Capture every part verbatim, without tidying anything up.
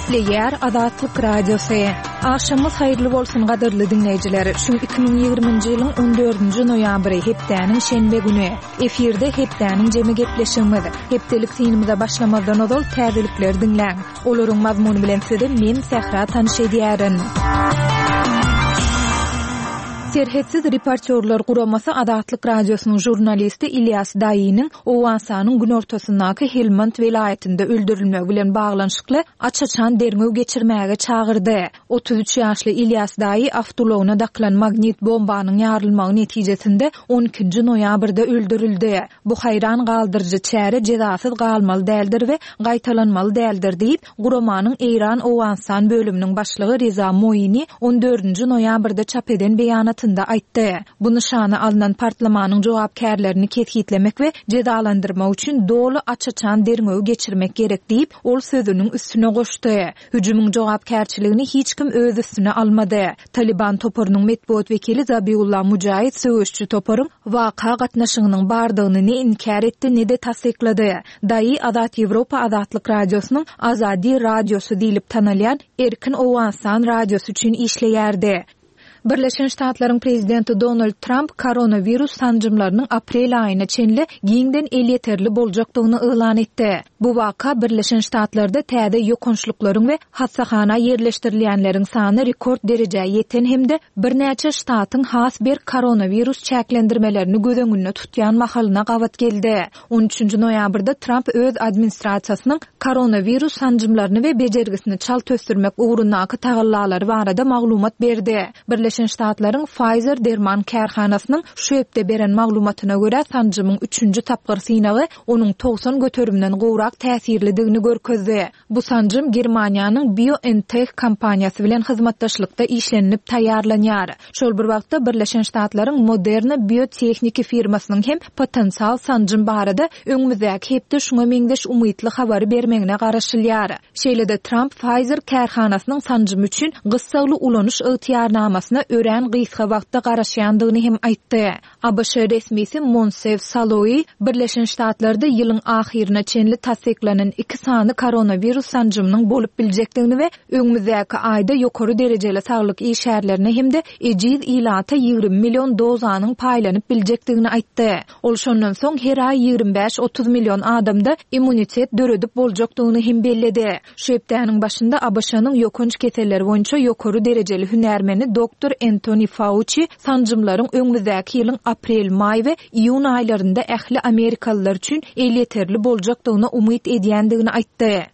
Gepleýär Azatlyk Radiosy. Agşamyňyz haýyrly bolsun gadyrly diňleýjiler. Şu iki müň ýigriminji ýylyň on dördünji noýabry hepdäniň şenbe güni. Efirde hepdäniň jemi gepleşigimiz. Hepdelik synymyza başlamazdan ozal täzelikleri diňläň. Olaryň mazmuny bilen sizi men Sähra tanyş edýärin. Serhetsiz reportýorlar guramasy Azatlyk Radiosynyň žurnalisti Ilýas Daýynyň Owganystanyň günortasyndaky Helmand welaýatynda öldürilmegi bilen baglanyşykly aç-açan derňew geçirmäge çagyrdy. Otuz üç ýaşly Ilýas Daýy awtoulagyna dakylan magnit bombanyň ýarylmagy netijesinde on ikinji noýabrda öldürildi. Bu haýran galdyryjy çäre jezasyz galmaly däldir we gaýtalanmaly däldir diýip, guramanyň Eýran-Owganystan bölüminiň başlygy Reza Moini on dördünji noýabrda çap eden beýanatynda aýtdy. Bu nyşana alnan partlamanyň jogapkärlerini kesgitlemek we jezalandyrmak üçin doly aç-açan derňewi geçirmek gerek diýip, ol sözüniň üstüne goşdy. Hüjümiň jogapkärçiligini hiç kim öz üstüne almady. Taliban toparynyň metbugat wekili Zabiullah Mujahid söweşçi toparyň waka gatnaşygynyň bardygyny ne inkär etdi, ne-de tassyklady. Daýy Azat Ýewropa Azatlyk Radiosynyň Azadi Radiosy diýlip tanalýan Erkin Owganystan radiosy üçin işleýärdi. Birleşen Ştatlaryň prezidenti Donald Tramp koronawirus sanjymlarynyň aprel aýyna çenli giňden elýeterli boljakdygyny yglan etdi. Bu waka Birleşen Ştatlarda täze ýokançlyklaryň we hassahana ýerleşdirilýänleriň sany rekord derejä ýeten hem-de birnäçe ştatyň has berk koronawirus çäklendirmelerini göz öňünde tutýan mahalyna gabat geldi. On üçünji noýabrda Tramp öz administrasiýasynyň koronawirus sanjymlaryny we bejergisini çalt ösdürmek ugrundaky tagallalary barada maglumat berdi. Birleşen Ştatlaryň Pfizer derman kärhanasynyň şu hepde beren maglumatyna görä sanjymyň üçünji tapgyr synagy onuň togsan göterimden gowrak täsirlidigini görkezdi. Bu sanjym Germaniýanyň BioNTech kompaniýasy bilen hyzmatdaşlykda işlenilip taýýarlanýar. Şol bir wagtda Birleşen Ştatlaryň Moderna biotehniki firmasynyň hem potensial sanjym barada öňümizdäki hepde şuňa meňzeş umytly habary bermegine garaşylýar. Şeýle-de Trump Pfizer kärhanasynyň sanjymy üçin gyssagly ulanyş ygtyýarnamasyna örän gysga wagtda garaşýandygyny hem aýtdy. A B Ş resmisi Monsef Saloý Birleşen Ştatlarda ýylyň ahyryna çenli tassyklanan iki sany koronawirus sanjymynyň bolup biljekdigini we öňümizdäki aýda ýokary derejeli saglyk işgärlerine hem-de ejiz ilata ýigrimi million dozanyň paýlanyp biljekdigini aýtdy. Ol şondan soň her aý ýigrimi bäş otuz million adamda immunitet döredip boljakdygyny hem belledi. Şu hepdäniň başynda A B Ş-nyň ýokanç keselleri boýunça ýokary derejeli hünärmeni doktor Anthony Fauci sanjymlaryň öňümizdäki ýylyň aprel, maý we iýun aýlarynda ähli amerikalylar üçin elýeterli boljakdygyna umyt edýändigini aýtdy.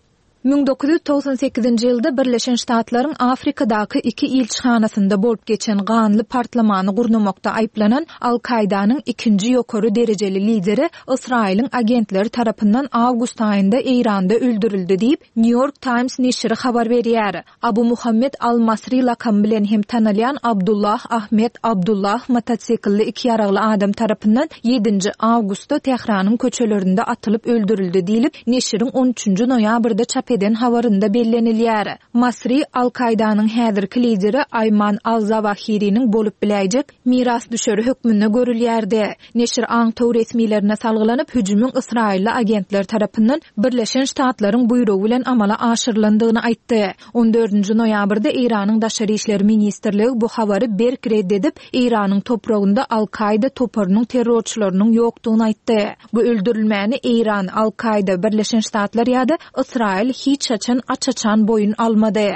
Müň dokuz ýüz togsan sekizinji ýylda Birleşen Ştatlaryň Afrikadaky iki ilçihanasynda bolup geçen ganly partlamany gurnamakda aýyplanan Al-Kaidanyň ikinji ýokary derejeli lideri Ysraýylyň agentleri tarapyndan awgust aýynda Eýranda öldürildi diýip, New York Times neşiri habar berýär. Abu Muhammed Al-Masri lakamy bilen hem tanalýan Abdullah Ahmed Abdullah motosikilli iki ýaragly adam tarapyndan ýedinji awgustda Tähranyň köçelerinde atylyp öldürildi diýlip, neşiriň on üçünji noýabrda çap eden habarynda bellenilýär. Masri Al-Kaidanyň häzirki lideri Aýman Al-Zawahiriniň bolup biläýjek mirasdüşeri hökmünde görülýärdi. Neşir aňtaw resmilerine salgylanyp, hüjümiň Ysraýylly agentler tarapyndan Birleşen Ştatlaryň buýrugy bilen amala aşyrylandygyny aýtdy. On dördünji noýabrda Eýranyň Daşary işler ministrligi bu habary berk red edip, Eýranyň topragynda Al-Kaida toparynyň terrorçylarynyň ýokdugyny aýtdy. Bu öldürilmäni Eýran, Al-Kaida, Birleşen Ştatlar ýa-da Ysraýyl hiç haçan aç-açan boýun almady.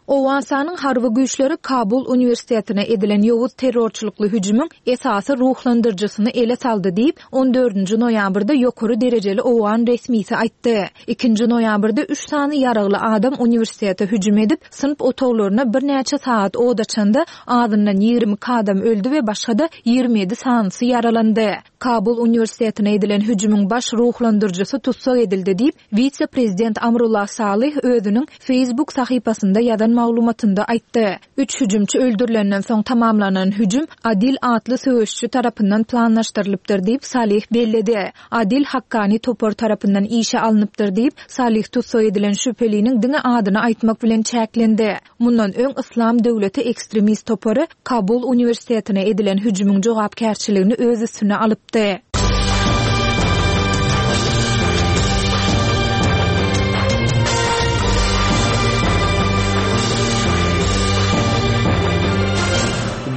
Owganystanyň harby güýçleri Kabul uniwersitetine edilen ýowuz terrorçylykly hüjümiň esasy ruhlandyryjysyny ele saldy diýip, on dördünji noýabrda ýokary derejeli owgan resmisi aýtdy. Ikinji noýabrda üç sany ýaragly adam uniwersitete hüjüm edip, synp otaglaryna birnäçe saat od açanda azyndan ýigrimi iki adam öldü we başga-da ýigrimi ýedi sanysy ýaralandy. Kabul uniwersitetine edilen hüjümiň baş ruhlandyryjysy tussag edildi diýip, wise-prezident Amrullah Salih özüniň Facebook sahypasynda ýazan maglumatynda aýtdy. Üç hüjümçi öldürilenden soň tamamlanan hüjüm Adil atly söweşçi tarapyndan planlaşdyrylypdyr diýip Salih belledi. Adil Hakkani topar tarapyndan işe alnypdyr diýip, Salih tussag edilen şübheliniň diňe adyny aýtmak bilen çäklendi. Mundan öň Islam döwleti ekstremist topary Kabul uniwersitetine edilen hüjümiň jogapkärçiligini öz üstüne alypdy.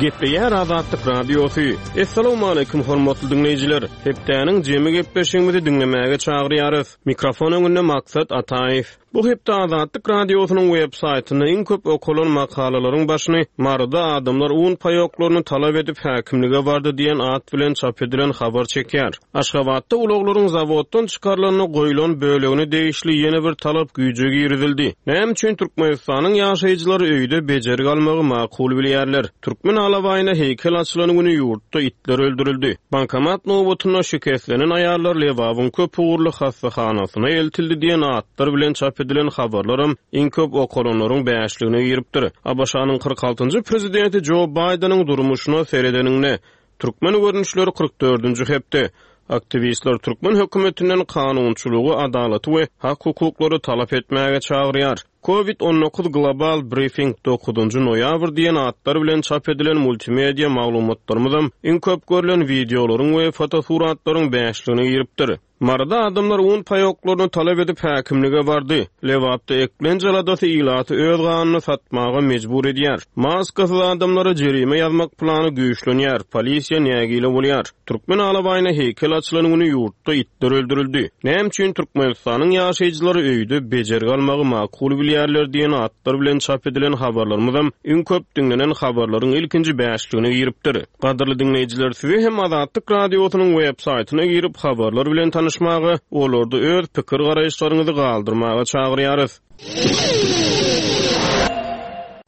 Gepleýär Azatlyk Radiosy. Assalamualaikum hormatly diňleýjiler. Hepdäniň jemi gepleşigimizi diňlemäge çagyrýarys. Mikrofon öňünde Maksat Ataýew. Bu hepde Azatlyk Radiosynyň web saýtynda iň köp okalan makalalaryň başyny Maryda adamlar un paýoklaryny talap edip häkimlige bardy diýen at bilen çap edilen habar çekýär. Aşgabatda ulaglaryň zawoddan çykarylanyna goýlan bölegine degişli ýene bir talap güýje girizildi. Näme üçin Türkmenistanyň ýaşaýjylary öýde bejergi almagy makul bilýärler? Türkmen alabaýyna heýkel açylan güni ýurtda itler öldürildi. Bankomat nobatynda şikeslenen aýallar Lebabyň köp ugurly hassahanasyna eltildi diýen atlar bilen çap edilen habarlaram iň köp okalanlaryň bäşligine giripdir. ABŞ-nyň kyrk altynjy prezidenti Joe Bideniň durmuşyna seredeninde Türkmen görnüşleri kyrk dördünji hepde aktiwistler Türkmen hökümetinden kanunçylygy, adalaty we hak hukuklary talap etmäge çagyrýar. Covid on dokuz Global Briefing dokuzynjy noýabr diýen atlar bilen çap edilen multimedia maglumatlarymyzam iň köp görülen wideolaryň we fotosuratlaryň bäşligine giripdir. Maryda adamlar un paýoklaryny talap edip häkimlige bardy. Lebapda eklenç aladasy ilaty öz ganyny satmaga mejbur edýär. Maskasyz adamlara jerime ýazmak plany güýçlenýär. Polisiýa nägile bolýar. Türkmen alabaýyna heýkel açylan güni ýurtda itler öldürildi. Näme üçin Türkmenistanyň ýaşaýjylary öýde bejergi almagy makul bilýärler diýen atlar bilen çap edilen habarlarymyzam iň köp diňlenen habarlaryň ilkinji bäşligine giripdir. Gadyrly diňleýjiler, sizi hem Azatlyk Radiosynyň web saýtyna girip habarlar bilen tanışmaga, olarda öz pikir garaýyşlaryňyzy galdyrmaga çagyrýarys.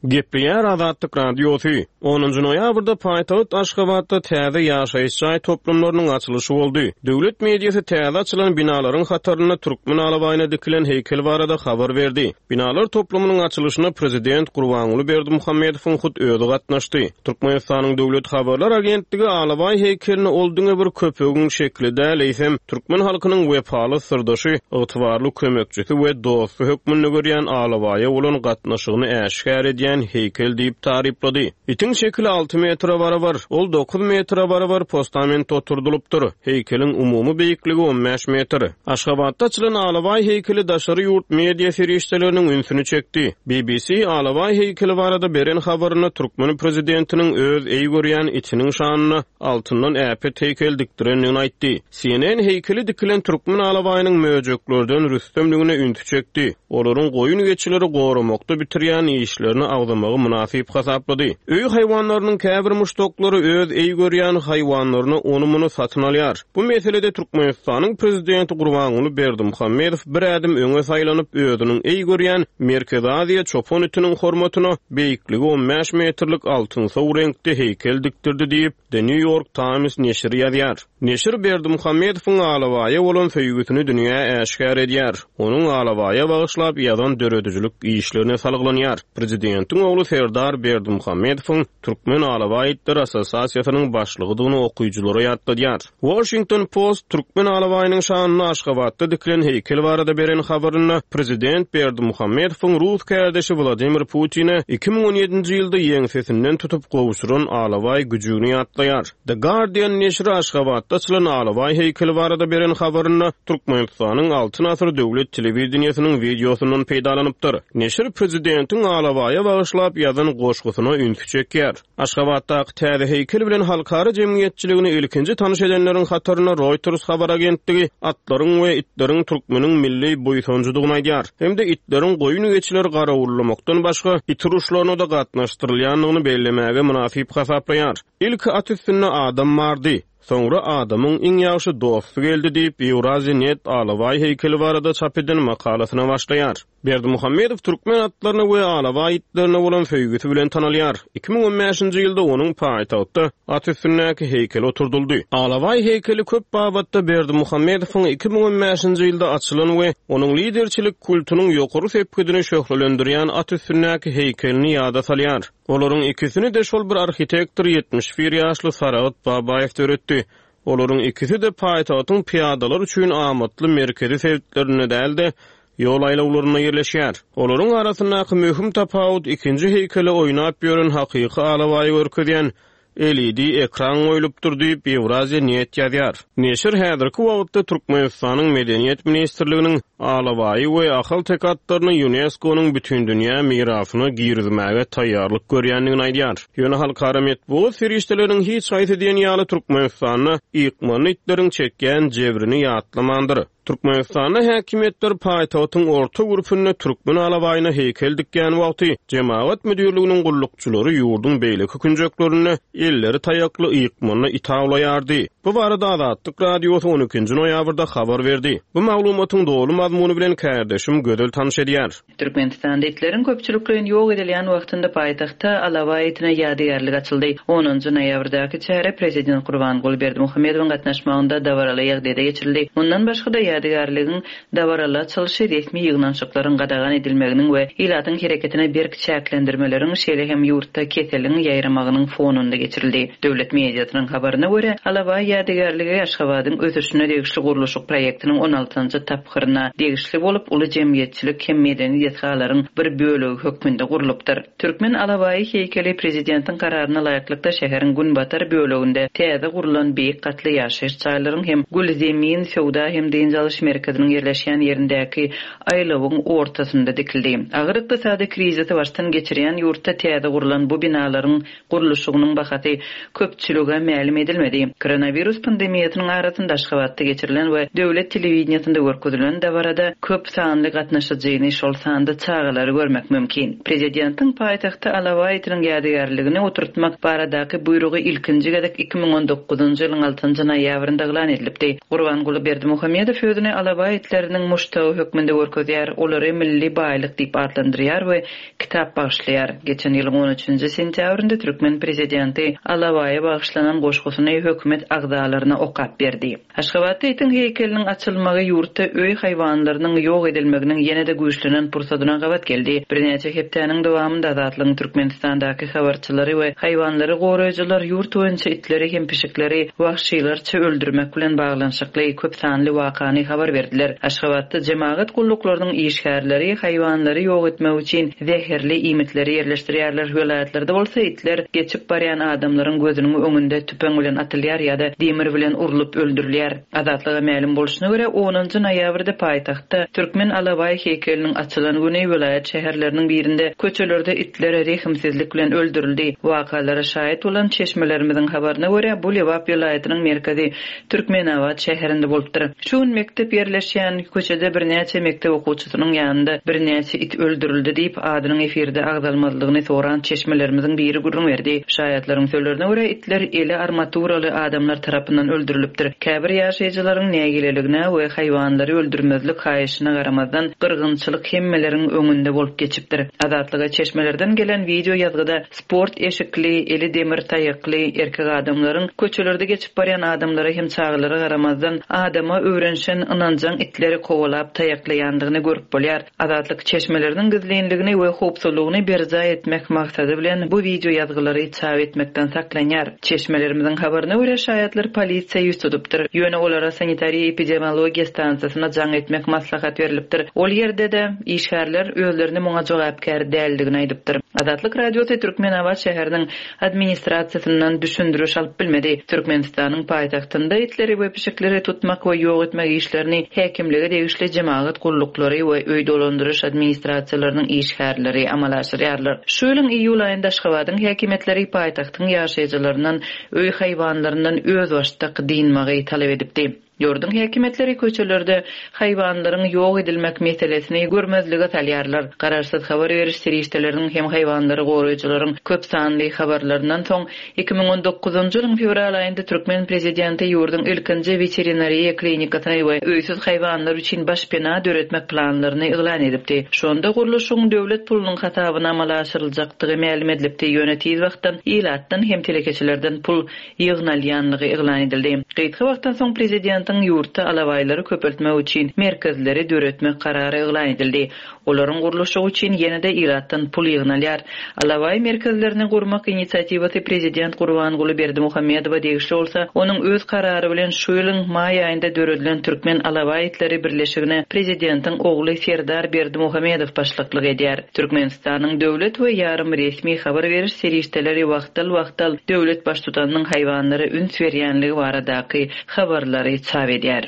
Gepleýär Azatlyk Radiosy. Onunjy noýabrda paýtagt Aşgabatda täze ýaşaýyş jaý toplumlarynyň açylyşy boldy. Döwlet mediasy täze açylan binalaryň hatarynda Türkmen alabaýyna dikilen heýkel barada habar berdi. Binalar toplumynyň açylyşyna prezident Gurbanguly Berdimuhamedowyň hut özi gatnaşdy. Türkmenistanyň Döwlet Habarlar Agentligi alabaý heýkelini ol diňe bir köpegiň şekli däl, eýsem türkmen halkynyň wepaly syrdaşy, ygtybarly kömekçisi we dosty hökmünde görýän alabaýa bolan gatnaşygyny äşgär edýän heýkel diýip taryplady. Itiň şekili alty metre barabar, ol dokuz metre barabar postament oturdylypdyr. Heýkeliň umumy beýikligi on bäş metr. Aşgabatda açylan alabaý heýkeli daşary ýurt media serişdeleriniň ünsüni çekdi. B B C alabaý heýkeli barada beren habarynda türkmen prezidentiniň öz eý görýän itiniň şanyna altyndan äpet heýkel dikdirendigini aýtdy. C N N heýkeli dikilen türkmen alabaýynyň möjeklerden rüstemligine ünsi çekdi. Olaryň goýun geçileri goramakda bitirýän işlerini agzamagy mynasyp hasaplady. Öý haýwanlarynyň käbir muşdaklary öz eý görýän haýwanlaryny ony muny satyn alýar. Bu meselede Türkmenistanyň prezidenti Gurbanguly Berdimuhamedow bir ädim öňe saýlanyp özüniň eý görýän Merkezi Aziýa çopan itiniň hormatyna beýikligi on bäş metrlik altynsow reňkde heýkel dikdirdi diýip The New York Times neşiri ýazýar. Neşir Berdimuhamedowyň alabaýa bolan söýgüsini dünýä äşgär edýär. Onuň alabaýa bagyşlap ýazan döredijilik işlerine salgylanýar. Prezidentiň ogly Serdar Berdimuhamedowyň Türkmen Alabaý Itleri Assosiasiýasynyň başlygydygyny okyjylara ýatladýar. Washington Post Türkmen alabaýynyň şanyna Aşgabatda dikilen heýkel barada beren habarynda prezident Berdimuhamedowyň rus kärdeşi Wladimir Putine iki müň on ýedinji ýylda ýeňsesinden tutup gowşuran alabaý güjügini ýatlaýar. The Guardian neşiri Aşgabatda açylan alabaý heýkeli barada beren habarynda Türkmenistanyň Altyn Asyr döwlet telewideniýesiniň wideosyndan peýdalanypdyr. Neşir prezidentiň alabaýa bagyşlap ýazan goşgusyna ünsi çekýär. Aşgabatdaky täze heýkel bilen halkara jemgyýetçiligini ilkinji tanyş edenleriň hatarynda Reuters habar agentligi atlaryň we itleriň türkmeniň milli buýsanjydygyny aýdýar. Hem-de itleriň goýun geçileri garawullamakdan başga it uruşlaryna da gatnaşdyrylýandygyny bellemäge mynasyp hasaplaýar. Ilki at üstünde adam bardy. Soňra adamyň iň ýagşy dosty geldi diýip Eurasia Net alabaý heýkeli barada çap eden makalasyna başlaýar. Berdimuhamedow türkmen atlaryna we alabaý itlerine bolan söýgüsi bilen tanalýar. Iki müň on bäşinji ýylda onuň paýtagtda at üstündäki heýkeli oturdyldy. Alabaý heýkeli köp babatda Berdimuhamedowyň iki müň on bäşinji ýylda açylan we onuň liderçilik kultunyň ýokary sepgidini şöhlelendirýän at üstündäki heýkelini ýada salýar. Olaryň ikisini de şol bir arhitektor ýetmiş bir ýaşly Saragat Babaýew döretdi. Olaryň ikisi de paýtagtyň piýadalar üçin amatly merkezi sebitlerinde däl-de, ýol aýlawlarynda ýerleşýär. Olaryň arasyndaky möhüm tapawut ikinji heýkeli oýnap ýören hakyky alabaýy görkezýän L E D ekran goýlupdyr diýip, Ýewraziýa net ýazýar. Neşir häzirki wagtda Türkmenistanyň Medeniýet ministrliginiň alabaýy we ahalteke atlaryny Ýunesko-nyň Bütindünýä mirasyna girizmäge taýýarlyk görýändigini aýdýar. Ýöne halkara metbugat serişdeleriniň hiç haýsy diýen ýaly Türkmenistanda ykmanly itleriň çekýän jebrini ýatlamandyr. Türkmenistanda häkimiýetler paýtagtyň orta gürpünde türkmen alabaýyna heýkel dikýän wagty jemagat müdirliginiň gullukçylary ýurduň beýleki künjeklerinde elleri taýakly ykmanly it awlaýardy. Bu barada Azatlyk Radiosy on ikinji noýabrda habar berdi. Bu maglumatyň doly mazmuny bilen kärdeşim Gözel tanyş edýär. Türkmenistanda itleriň köpçülikleýin ýok edilýän wagtynda paýtagtda alabaý itine ýadygärlik açyldy. Onunjy noýabrdaky çäre prezident Gurbanguly Berdimuhamedowyň gatnaşmagynda dabaraly ýagdaýda geçirildi. Mundan başga-da ýadygärligiň dabaraly açylyşy resmi ýygnanyşyklaryň gadagan edilmeginiň we ilatyň hereketine berk çäklendirmeleriň, şeýle hem ýurtda keseliň ýaýramagynyň fonunda geçirildi. Döwlet mediasynyň habaryna görä, alabaý ýadygärligi Aşgabadyň ösüşine degişli gurluşyk proýektiniň on altynjy tapgyryna degişli bolup, uly jemgyýetçilik hem medeni desgalaryň bir bölegi hökmünde gurlupdyr. Türkmen alabaýy heýkeli prezidentiň kararyna laýyklykda şäheriň günbatar böleginde täze gurlan beýik gatly ýaşaýyş jaýlaryň hem Gül Zemin söwda hem dynç alyş merkeziniň ýerleşýän ýerindäki aýlawyň ortasynda dikildi. Agyr ykdysady krizisi başdan geçirýän ýurtda täze gurlan bu binalaryň gurluşygynyň bahasy köpçülige mälim edilmedi. Koronavirus pandemiýasynyň arasynda Aşgabatda geçirilen we döwlet telewideniýesinde görkezilen dabarada köp sanly gatnaşyjyny, şol sanda çagalary görmek mümkin. Prezidentiň paýtagtda alabaý itiniň ýadygärligini oturtmak baradaky buýrugy ilkinji gezek iki müň on dokuzynjy ýylyň altynjy noýabrynda yglan edilipdi. Gurbanguly Berdimuhamedow özüni alabaý itleriniň muşdagy hökmünde görkezýär, olary milli baýlyk diýip atlandyrýar we kitap bagyşlaýar. Geçen ýylyň on üçünji sentýabrynda türkmen prezidenti alabaýa bagyşlanan goşgusyny hökümet agzalaryna okap berdi. Aşgabatda itiň heýkeliniň açylmagy ýurtda öý haýwanlarynyň ýok edilmeginiň ýene-de güýçlenen pursadyna gabat geldi. Birnäçe hepdäniň dowamynda Azatlygyň Türkmenistandaky habarçylary we haýwanlary goraýjylar ýurt boýunça itleri hem pişikleri wagşylarça öldürmek bilen baglanyşykly köp sanly wakany habar berdiler. Aşgabatda jemagat gulluklarynyň işgärleri haýwanlary ýok etmek üçin zäherli iýmitleri ýerleşdirýärler. Welaýatlarda bolsa itler geçip barýan adamlaryň gözüniň öňünde tüpeň bilen atylýar ýa-da demir bilen urlup öldürilýär. Azatlyga mälim bolşuna görä, onunjy noýabrda paýtagtda türkmen alabaý heýkeliniň açylan güni welaýat şäherleriniň birinde köçelerde itler rehimsizlik bilen öldürildi. Wakalara şaýat bolan çeşmelerimiziň habaryna görä, bu Lebap welaýatynyň merkezi Türkmenabat şäherinde bolupdyr. Şu gün mekdep ýerleşýän köçede birnäçe mekdep okuwçysynyň ýanynda birnäçe it öldürildi diýip, adynyň efirde agzalmazlygyny soran çeşmelerimiziň biri gürrüň berdi. Şaýatlaryň sözlerine görä, itler eli armaturaly adamlar tarapyndan öldürilipdir. Käbir ýaşaýjylaryň nägileligine we haýwanlary öldürmezlik haýyşyna garamazdan gyrgynçylyk hemmeleriň öňünde bolup geçipdir. Azatlyga çeşmelerden gelen wideo ýazgyda sport eşikli, eli demir taýakly erkek adamlaryň köçelerde geçip barýan adamlara hem çagalara garamazdan adama öwrenşen ynanjaň itleri kowalap taýaklaýandygyny görüp bolýar. Azatlyk çeşmeleriniň gizlinligini we howpsuzlygyny berjaý etmek maksady bilen bu wideo ýazgylary çap etmekden saklanýar. Çeşmelerimiziň habaryna görä, şaýatlar polisiýa ýüz tutupdyr. Ýöne olara sanitariýa epidemiologiýa stansiýasyna jaň etmek maslahat berilipdir. Ol ýerde-de işgärler özlerini muňa jogapkär däldigini aýdypdyr. Azatlyk Radiosy Türkmenabat şäheriniň administrasiýasyndan düşündiriş alyp bilmedi. Türkmenistanyň paýtagtynda itleri we pişikleri tutmak we ýok etmek işlerini häkimlige degişli jemagat gulluklary we öý dolandyryş administrasiýalarynyň işgärleri amala aşyrýarlar. Şu ýylyň iýul aýynda Aşgabadyň häkimiýetleri paýtagtyň ýaşaýjylaryndan öý haýwanlaryndan özbaşdak dynmagy talap edipdi. Ýurduň häkimiýetleri köçelerde haýwanlaryň ýok edilmek meselesini görmezlige salýarlar. Garaşsyz habar beriş serişdeleriniň hem haýwanlary goraýjylaryň köp sanly habarlaryndan soň iki müň on dokuzynjy ýylyň fewral aýynda türkmen prezidenti ýurduň ilkinji weterinariýa klinikasyny we öýsüz haýwanlar üçin başpena döretmek planlaryny yglan edipdi. Şonda gurluşygyň döwlet pulunyň hasabyna amala aşyryljakdygy mälim edilipdi. Ýöne tiz wagtdan ilatdan hem telekeçilerden pul ýygnalýanlygy yglan edildi. Gysga wagtdan soň prezidentiň prezidentiň ýurtda alabaýlary köpeltmek üçin merkezleri döretmek karary yglan edildi. Olaryň gurluşygy üçin ýene-de ilatdan pul ýygnalýar. Alabaý merkezlerini gurmak inisiatiwasy prezident Gurbanguly Berdimuhamedowa degişli bolsa, onuň öz karary bilen şu ýylyň maý aýynda döredilen Türkmen alabaý itleri birleşigine prezidentiň ogly Serdar Berdimuhamedow başlyklyk edýär. Türkmenistanyň döwlet we ýarym resmi habar beriş serişdeleri wagtal-wagtal döwlet baştutanynyň haýwanlara üns berýänligi baradaky habarlary çap edýär.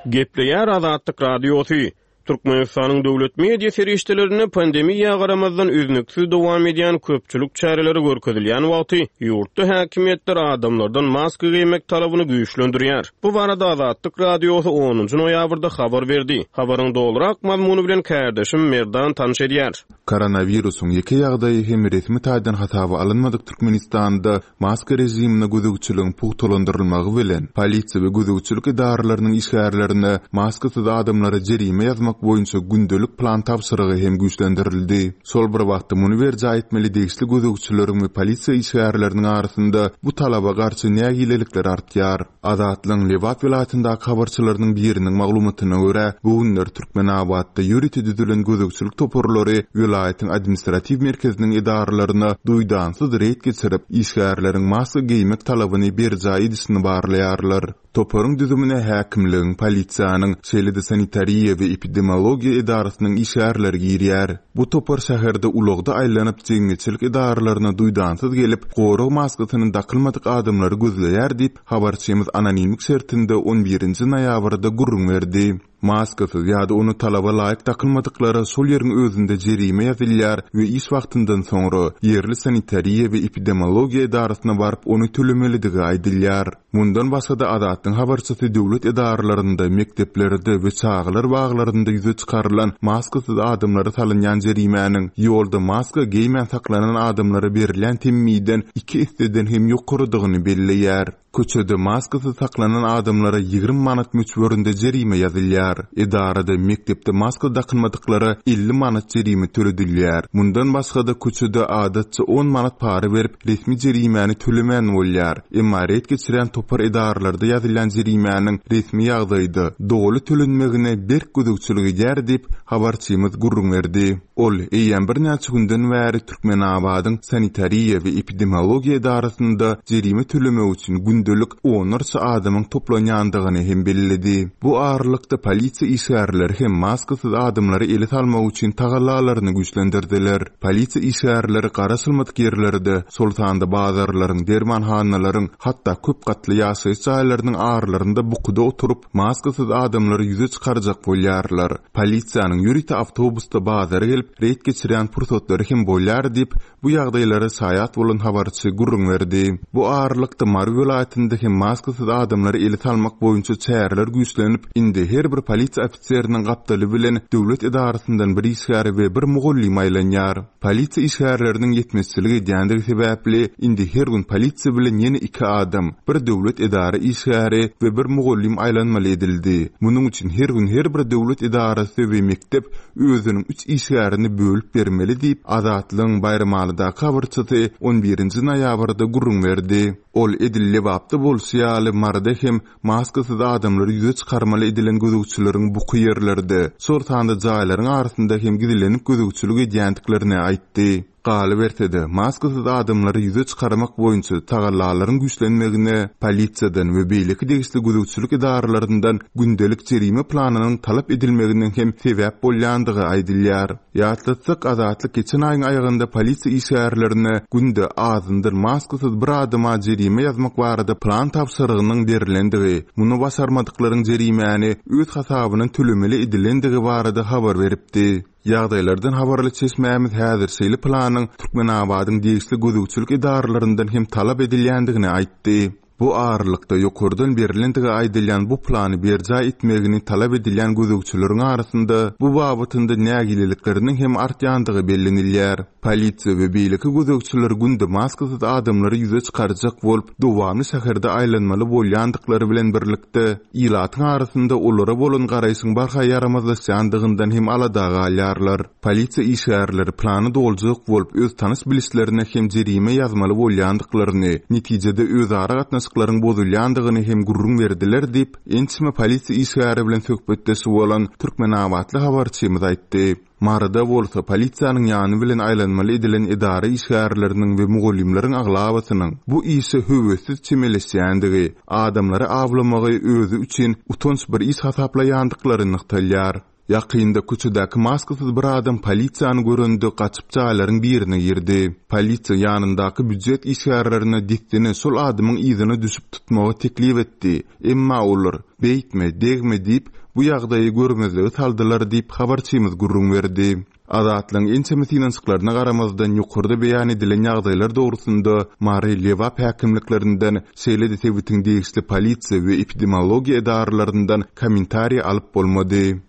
Gepleýär Azatlyk Radiosy. Türkmenistanyň döwlet media serişdelerinde pandemiýa garamazdan üznüksiz dowam edýän köpçülik çäreleri görkezilýän wagty ýurtda häkimiýetler adamlardan maska geýmek talabyny güýçlendirýär. Bu barada Azatlyk Radiosy onunjy noýabrda habar berdi. Habaryň dolurak mazmuny bilen kärdeşim Merdan tanyş edýär. Koronawirusyň ýeke ýagdaýy hem resmi taýdan hasaba alynmadyk Türkmenistanda maska režimine gözegçiligiň pugtalandyrylmagy bilen polisiýa we gözegçilik edaralarynyň işgärlerine maskasyz adamlara jerime ýazmak boýunça gündelik plan tabşyrygy hem güýçlendirildi. Şol bir wagtda muny berjaý etmeli degişli gözegçileriň we polisiýa işgärleriniň arasynda bu talaba garşy nägilelikler artýar. Azatlygyň Lebap welaýatyndaky habarçylarynyň biriniň maglumatyna görä, bu günler Türkmenabatda ýörite düzülen gözegçilik toparlary welaýatyň administratiw merkeziniň edaralaryna duýdansyz reýd geçirip, işgärleriň maska geýmek talabyny berjaý edişini barlaýarlar. Toparyň düzümine häkimligiň, polisiýanyň, şeýle-de sanitariýa we epidemiologiýa edarasynyň işgärleri girýär. Bu topar şäherde ulagda aýlanyp, jemgyýetçilik edaralaryna duýdansyz gelip, gorag maskasyny dakylmadyk adamlary gözleýär diýip, habarçymyz anonimlik şertinde on birinji noýabrda gürrüň berdi. Maskasyz ýa-da ony talaba laýyk dakylmadyklara şol ýeriň özünde jerime ýazylýar we iş wagtyndan soňra ýerli sanitariýa we epidemiologiýa edarasyna baryp ony tölemelidigi aýdylýar. Mundan başga-da Azatlygyň habarçysy döwlet edaralarynda, mekdeplerde we çagalar baglarynda ýüze çykarylan maskasyz adamlara salynýan jerimäniň ýolda maska geýmän saklanan adamlara berilýän temmiden iki esseden hem ýokarydygyny belleýär. Köçede maskasyz saklanan adamlara ýigrimi manat möçberinde jerime ýazylýar. Edarada, mekdepde maska dakylmadyklara elli manat jerime töledilýär. Mundan başga-da köçede adatça on manat para berip resmi jerimäni tölemän bolýar. Emma reýd geçirýän topar edaralarda ýazylýan jerimäniň resmi ýagdaýda doly tölenmegine berk gözegçilik edýär diýip habarçymyz gürrüň berdi. Ol eýýäm birnäçe günden bäri Türkmenabadyň sanitariýa we epidemiologiýa edarasynda jerime tölemek üçin gündelik onlarça adamyň toplanýandygyny hem belledi. Bu aralykda polisiýa işgärleri hem maskasyz adamlary ele salmak üçin tagallalaryny güýçlendirdiler. Polisiýa işgärleri garaşylmadyk ýerlerde, şol sanda bazarlaryň, dermanhanalaryň, hatda köp gatly ýaşaýyş jaýlarynyň aralarynda bukuda oturyp, maskasyz adamlary ýüze çykarjak bolýarlar. Polisiýanyň ýörite awtobusda bazara gelip reýd geçirýän pursatlary hem bolýar diýip, bu ýagdaýlara şaýat bolan habarçy gürrüň berdi. Bu aralykda Mary welaýatynda hem maskasyz adamlary ele salmak boýunça çäreler güýçlenip, indi her bir polisiýa ofiseriniň gapdaly bilen döwlet edarasyndan bir işgär we bir mugallym aýlanýar. Polisiýa işgärleriniň ýetmezçilik edýändigi sebäpli indi her gün polisiýa bilen ýene iki adam, bir döwlet edara işgäri we bir mugallym aýlanmaly edildi. Munuň üçin her gün her bir döwlet edarasy we mekdep özüniň üç işgärini bölüp bermeli diýip Azatlygyň Baýramalydaky habarçysy on birinji noýabrda gürrüň berdi. Ol edil Lebapda bolşy ýaly Maryda hem maskasyz adamlary ýüze çykarmaly edilen gözegçileriň buky ýerlerde, şol sanda jaýlaryň arasynda hem gizlenip gözegçilik edýändiklerini aýtdy. Galyberse-de, maskasyz adamlary ýüze çykarmak boýunça tagallalaryň güýçlenmegine polisiýadan we beýleki degişli gözegçilik edaralaryndan gündelik jerime planynyň talap edilmeginiň hem sebäp bolýandygy aýdylýar. Ýatlatsak, Azatlyk geçen aýyň aýagynda polisiýa işgärlerine günde azyndan maskasyz bir adama jerime ýazmak barada plan tabşyrygynyň berilendigi, muny başarmadyklaryň jerimäni öz hasabyna tölemeli edilendigi barada habar beripdi. Ýagdaýlardan habarly çeşmämiz häzir şeýle planyň Türkmenabadyň degişli gözegçilik edaralaryndan hem talap edilýändigini aýtdy. Bu aralykda ýokardan berilendigi aýdylýan bu plany berjaý etmegini talap edilýän gözegçileriň arasynda bu babatynda nägilelikleriniň hem artýandygy bellenilýär. Polisiýa we beýleki gözegçiler günde maskasyz adamlary ýüze çykarjak bolup, dowamly şäherde aýlanmaly bolýandyklary bilen birlikde ilatyň arasynda olara bolan garaýşyň barha ýaramazlaşýandygyndan hem alada galýarlar. Polisiýa işgärleri plany doljak bolup, öz tanyş bilişlerine hem jerime ýazmaly bolýandyklaryny, netijede özara gatnaşyk gatnaşyklaryň bozulýandygyny hem gürrüň berdiler diýip, ençeme polisiýa işgäri bilen söhbetdeş bolan türkmenabatly habarçymyz aýtdy. Maryda bolsa polisiýanyň ýany bilen aýlanmaly edilen edara işgärleriniň we mugallymlaryň aglabasynyň bu işe höwessiz çemeleşýändigi, adamlary awlamagy özi üçin utanç bir iş hasaplaýandyklary nygtalýar. Ýakynda köçedäki maskasyz bir adam polisiýany görende gaçyp jaýlaryň birine girdi. Polisiýa ýanyndaky býujet işgärlerine dessine şol adamyň yzyna düşüp tutmagy teklip etdi. Emma olar "Beýtme, degme" diýip, bu ýagdaýy görmezlige saldylar diýip habarçymyz gürrüň berdi. Azatlygyň ençeme synanyşyklaryna garamazdan ýokarda beýan edilen ýagdaýlar dogrusynda Mary, Lebap häkimliklerinden, şeýle-de sebitiň degişli polisiýa we epidemiologiýa edaralaryndan kommentariý alyp bolmady.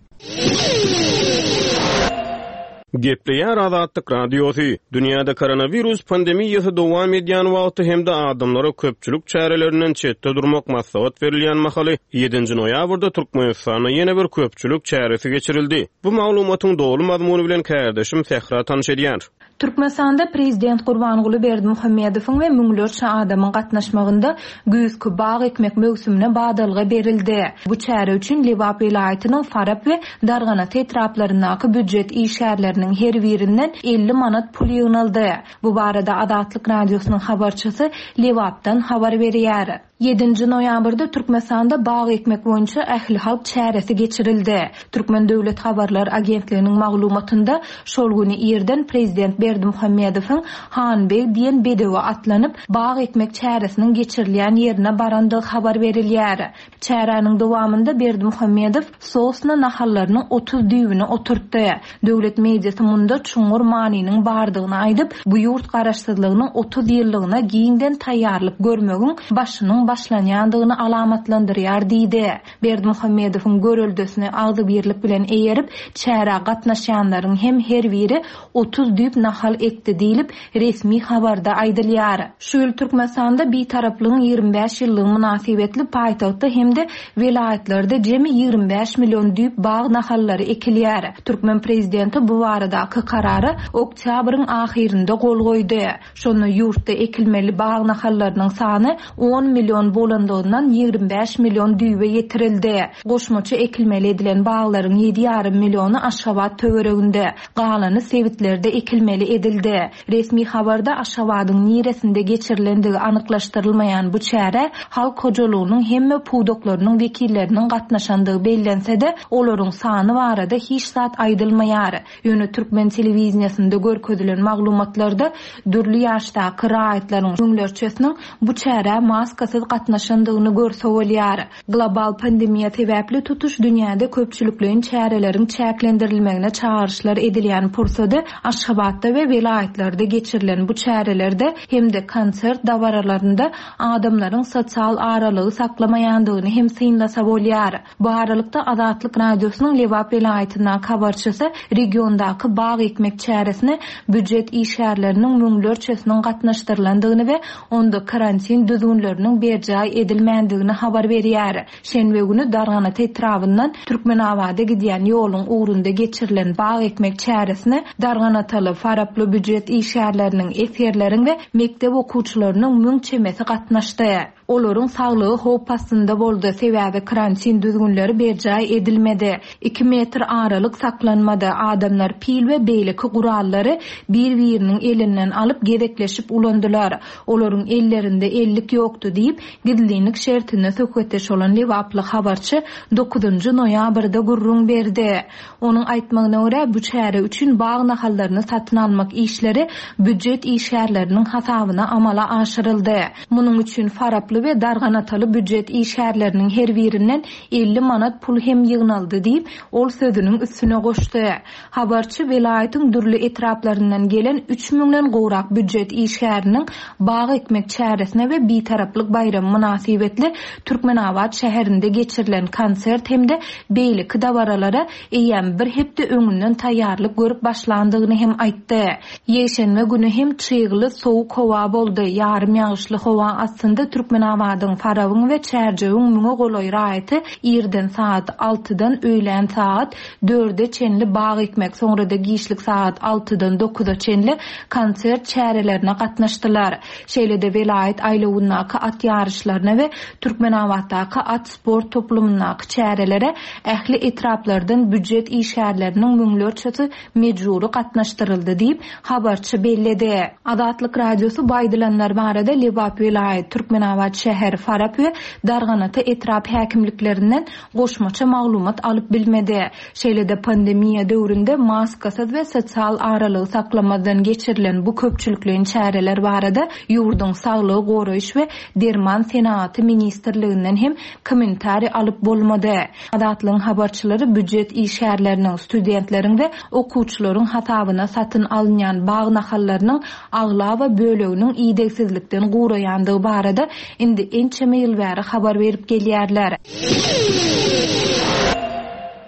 Gepleýär Azatlyk Radiosy. Dünýäde koronawirus pandemiýasy dowam edýän wagty hem-de adamlara köpçülik çärelerinden çetde durmak maslahat berilýän mahaly ýedinji noýabrda Türkmenistanda ýene bir köpçülik çäresi geçirildi. Bu maglumatyň doly mazmuny bilen kärdeşim Sähra tanyş edýär. Türkmenistanda Prezident Gurbanguly Berdimuhamedowyň we müňlerçe adamyň gatnaşmagynda güýzki bag ekmek möwsümine badalga berildi. Bu çäre üçin Lebap welaýatynyň Farap we Darganata etraplaryndaky býujet işgärleriniň her birinden elli manat pul ýygnaldy. Bu barada Azatlyk Radiosynyň habarçysy Lebapdan habar berýär. Ýedinji noýabrda Türkmenistanda bag ekmek boýunça ähli halk çäresi geçirildi. Türkmen Döwlet Habarlar Agentliginiň maglumatynda şol güni irden Prezident Berdimuhamedowyň Hanbeg diýen bedewe atlanyp, bag ekmek çäresiniň geçirilýän ýerine barandygy habar berilýär. Çäräniň dowamynda Berdimuhamedow sosna nahallarynyň otuz düýbüni oturtdy. Döwlet mediasy munda çuňňur manynyň bardygyny aýdyp, bu ýurt garaşsyzlygynyň otuz ýyllygyna giňden taýýarlyk görmegiň başynyň başlanýandygyny alamatlandyrýar diýdi. Berdimuhamedowyň göreldesini agzybirlik bilen eýerip, çärä gatnaşýanlaryň hem her biri otuz düýp nahal ekdi diýlip, resmi habarda aýdylýar. Şu ýyl Türkmenistanda Bitaraplygyň ýigrimi bäş ýyllygy mynasybetli paýtagtda hem-de welaýatlarda jemi ýigrimi bäş million düýp bag nahallary ekilýär. Türkmen prezidenti bu baradaky karara oktýabryň ahyrynda gol goýdy. Şonda ýurtda ekilmeli bag nahallarynyň sany on million bolandygyndan ýigrimi bäş million düýbe ýetirildi. Goşmaça ekilmeli edilen baglaryň ýedi ýarym milliony Aşgabat töwereginde, galany sebitlerde ekilmeli edildi. Resmi habarda Aşgabadyň niresinde geçirilendigi anyklaşdyrylmaýan bu çäre halk hojalygynyň hemme pudaklarynyň wekilleriniň gatnaşandygy bellense-de, olaryň sany barada hiç zat aýdylmaýar. Ýöne türkmen telewiziýasynda görkezilen maglumatlarda dürli ýaşdaky raýatlaryň müňlerçesiniň bu çärä maskasyz gatnaşandygyny görse bolýar. Global pandemiýa sebäpli tutuş dünýäde köpçülikleýin çäreleriň çäklendirilmegine çagyryşlar edilýän pursady Aşgabatda we welaýatlarda geçirilen bu çärelerde hem-de konsert dabaralarynda adamlaryň sosial aralygy saklamaýandygyny hem synlasa bolýar. Bu aralykda Azatlyk Radiosynyň Lebap welaýatyndaky habarçysy regiondaky bag ekmek çäresine býujet işgärleriniň müňlerçesiniň gatnaşdyrylandygyny we onda karantin düzgünleriniň berjaý edilmändigini habar berýär. Şenbe günü Darganata etrabyndan Türkmenabada gidýän ýoluň ugrunda geçirilen bag ekmek çäresine Darganataly, Faraply býujet işgärleriniň, esgerleriň we mekdep okuwçylarynyň müň çemesi gatnaşdy. Olaryň saglygy howp astynda boldy, sebäbi karantin düzgünleri berjaý edilmedi. Iki metr aralyk saklanmady. Adamlar pil we beýleki gurallary bir-biriniň elinden alyp gezekleşip ulandylar. Olaryň ellerinde ellik ýokdy diýip, gizlinlik şertinde söhbetdeş bolan Lebaply habarçy dokuzynjy noýabrda gürrüň berdi. Onuň aýtmagyna görä, bu çäre üçin bag nahallaryny satyn almak işleri býujet işgärleriniň hasabyna amala aşyryldy. Munuň üçin Faraply we Darganataly býujet işgärleriniň her birinden elli manat pul hem ýygnaldy diýip, ol sözüniň üstüne goşdy. Habarçy welaýatyň dürli etraplaryndan gelen üç müňden gowrak býujet işgäriniň bag ekmek çäresine we Bitaraplyk baýramy mynasybetli Türkmenabat şäherinde geçirilen konsert hem-de beýleki dabaralara eýýäm bir hepde öňünden taýýarlyk görüp başlandygyny hem aýtdy. Ýekşenbe günü hem çygly sowuk howa boldy. Ýarym ýagyşly howa astynda Türkmen Türkmenabadyň, Farabyň we Çärjewiň müňe golaý raýaty irden sagat altydan öýlän sagat dörde çenli bag ekmek, soňra-da giçlik sagat altydan dokuza çenli konsert çärelerine gatnaşdylar. Şeýle-de welaýat aýlawyndaky at ýaryşlaryna we Türkmenabatdaky at sport toplumyndaky çärelere ähli etraplardan býujet işgärleriniň müňlerçesi mejbury gatnaşdyryldy diýip, habarçy belledi. Azatlyk Radiosy bu aýdylanlar barada Lebap welaýat, Türkmenabat şäher, Farap we Darganata etrap häkimliklerinden goşmaça maglumat alyp bilmedi. Şeýle-de pandemiýa döwründe maskasyz we sosial aralygy saklamazdan geçirilen bu köpçülikleýin çäreler barada ýurduň Saglygy goraýyş we derman senagaty ministrliginden hem kommentariý alyp bolmady. Azatlygyň habarçylary býujet işgärleriniň, studentleriň we okuwçylaryň hasabyna satyn alynýan bag nahallarynyň aglaba böleginiň idegsizlikden guraýandygy barada indi ençeme ýyl bäri habar berip gelýärler.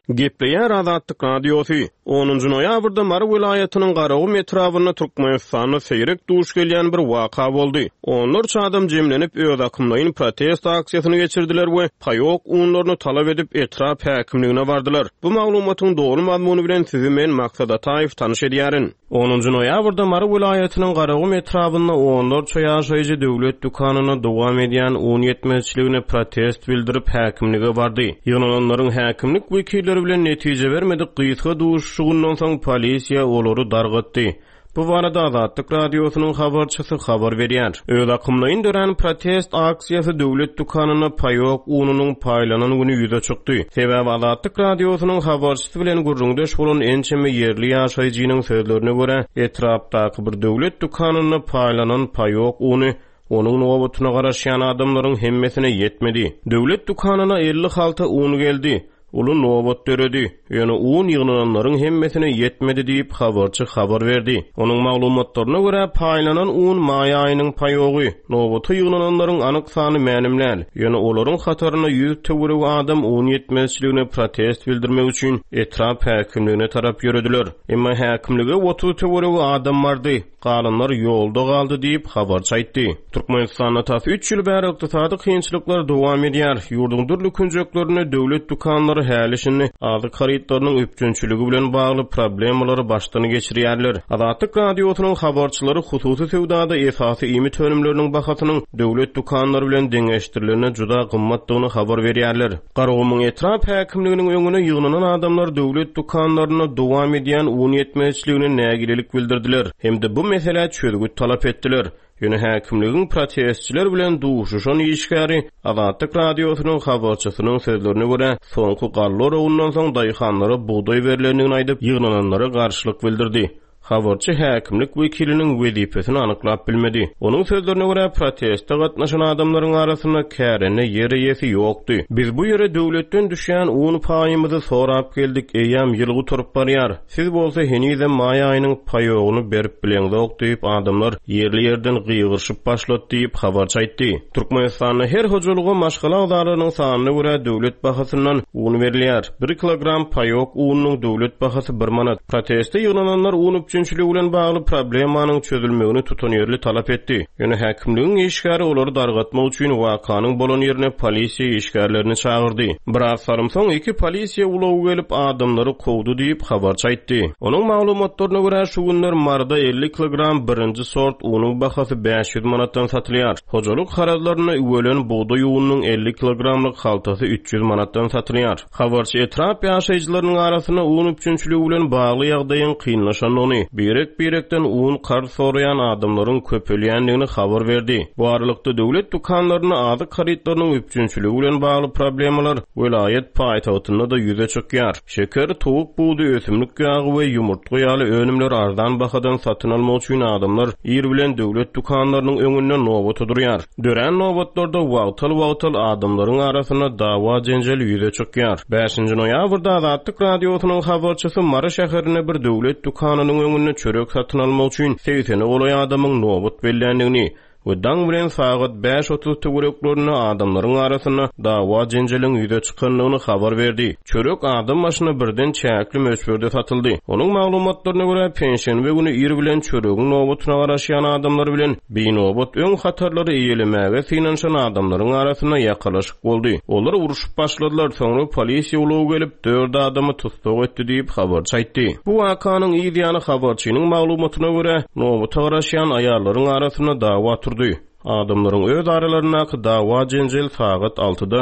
Gepleýär Azatlyk Radiosy. Onunjy noýabrda Mary welaýatynyň Garagum etrabynda Türkmenistanda seýrek duş gelýän bir waka boldy. Onlarça adam jemlenip öz akymlaýyn protest aksiýasyny geçirdiler we paýok unlaryny talap edip etrap häkimligine bardylar. Bu maglumatyň doly mazmuny bilen sizi men Maksat Ataýew tanyş edýärin. Onunjy noýabrda Mary welaýatynyň Garagum etrabynda onlarça ýaşaýjy döwlet dükanyna dowam edýän un ýetmezçiligine protest bildirip häkimlige bardy. Ýygnananlaryň häkimlik wekilleri bilen netije bermedik gysga duşuşygyndan soň polisiýa olary dargatdy. Bu barada Azatlyk Radiosynyň habarçysy habar berýär. Öz akymlaýyn dörän protest aksiýasy döwlet dükanyna paýok ununyň paýlanan güni ýüze çykdy. Sebäbi Azatlyk Radiosynyň habarçysy bilen gürrüňdeş bolan ençeme ýerli ýaşaýjynyň sözlerine görä, etrapdaky bir döwlet dükanynda paýlanan paýok uny onuň nobatyna garaşýan adamlaryň hemmesine ýetmedi. Döwlet dükanyna elli halta un geldi. Uly nobat döredi. Ýöne un ýygnananlaryň hemmesine ýetmedi diýip habarçy habar berdi. Onuň maglumatlaryna görä paýlanan un maý aýynyň paýogy. Nobata ýygnananlaryň anyk sany mälim däl. Ýöne olaryň hatarynda ýüz töweregi adam un ýetmezçiligine protest bildirmek üçin etrap häkimligine tarap ýörediler. Emma häkimlige otuz töweregi adam bardy. Galanlar ýolda galdy diýip habarçy aýtdy. Türkmenistanda tas üç ýyl bäri ykdysady kynçylyklar dowam edýär. Ýurduň dürli künjeklerinde döwlet dükanlary häli-şindi azyk harytlarynyň üpjünçiligi bilen bagly problemalary başdan geçirýärler. Azatlyk Radiosynyň habarçylary hususy söwdada esasy iýmit önümleriniň bahasynyň döwlet dükanlary bilen deňeşdirilerine juda gymmatdygyny habar berýärler. Garagumuň etrap häkimliginiň öňüne ýygnanan adamlar döwlet dükanlaryna dowam edýän un ýetmezçiligine nägilelik bildirdiler. Hem-de bu meselä çözgüt talap etdiler. Ýöne häkimligiň protestçiler bilen duşuşan işgäri Azatlyk Radiosynyň habarçysynyň sözlerine görä, soňky galla oragyndan soň daýhanlara bugdaý berlendigini aýdyp, ýygnananlara garşylyk bildirdi. Habarçy häkimlik wekiliniň wezipesini anyklap bilmedi. Onuň sözlerine görä, proteste gatnaşan adamlaryň arasynda kärende ýer eýesi ýokdy. Biz bu ýere döwletden düşýän un paýymyzy sorap geldik, eýýäm ýyl gutaryp barýar. Siz bolsa henizem maý aýynyň paýogyny berip bileňzok diýip adamlar ýerli ýerden gygyryşyp başlady diýip habarçy aýtdy. Türkmenistanda her hojalyga maşgala agzalarynyň sanyna görä döwlet bahasyndan un berilýär. Bir kilogram paýok ununyň döwlet bahasy bir manat. Proteste ýygnananlar un üpjünçiligi bilen bagly problemanyň çözülmegini tutanýerli talap etdi. Ýöne häkimligiň işgäri olary dargatmak üçin wakanyň bolan ýerine polisiýa işgärlerini çagyrdy. Biraz salym soň iki polisiýa ulagy gelip adamlary kowdy diýip habarçy aýtdy. Onuň maglumatlaryna görä şu günler Maryda elli kilogram birinji sort unuň bahasy bäş ýüz manatdan satylýar. Hojalyk harytlaryna üwelen bugdaý ununyň elli kilogramlyk haltasy üç ýüz manatdan satylýar. Habarçy etrap ýaşaýjylarynyň arasynda un üpjünçiligi bilen bagly ýagdaýyň kynlaşandygyny, birek-birekden un karz soraýan adamlaryň köpelýändigini habar berdi. Bu aralykda döwlet dükanlarynda azyk harytlarynyň üpjünçiligi bilen bagly problemalar welaýat paýtagtynda-da ýüze çykýar. Şeker, towuk budy, ösümlik ýagy we ýumurtga ýaly önümler arzan bahadan satyn almak üçin adamlar ir bilen döwlet dükanlarynyň öňünde nobata durýar. Dörän nobatlarda wagtal-wagtal adamlaryň arasynda dawa jenjel ýüze çykýar. Bäşinji noýabrda Azatlyk Radiosynyň habarçysy Mary şäherinde bir döwlet dükanynyň öňünde çörek satyn almak üçin segsene golaý adamyň nobat belländigini, we daň bilen sagat bäş otuz töwereklerinde adamlaryň arasynda dawa-jenjeliň ýüze çykandygyny habar berdi. Çörek adam başyna birden çäkli möçberde satyldy. Onuň maglumatlaryna görä, penşenbe güni ir bilen çöregiň nobatyna garaşýan adamlar bilen binobat öň hatarlary eýelemäge synanyşan adamlaryň arasynda ýakalaşyk boldy. Olar urşup başladylar, soňra polisiýa ulagy gelip, dört adamy tussag etdi diýip, habarçy aýtdy. Bu wakanyň yz ýany habarçynyň maglumatyna görä, nobata garaşýan aýallaryň arasynda dawa turdy. Adamlaryň öz aralaryndaky dawa-jenjel sagat altyda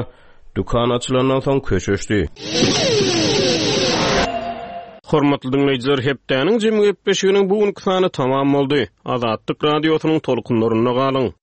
dükan açylandan soň köşeşdi. Hormatly diňleýjiler, hepdäniň jemi gepleşiginiň bu günki sany tamam boldy. Azatlyk Radiosynyň tolkunlarynda galyň.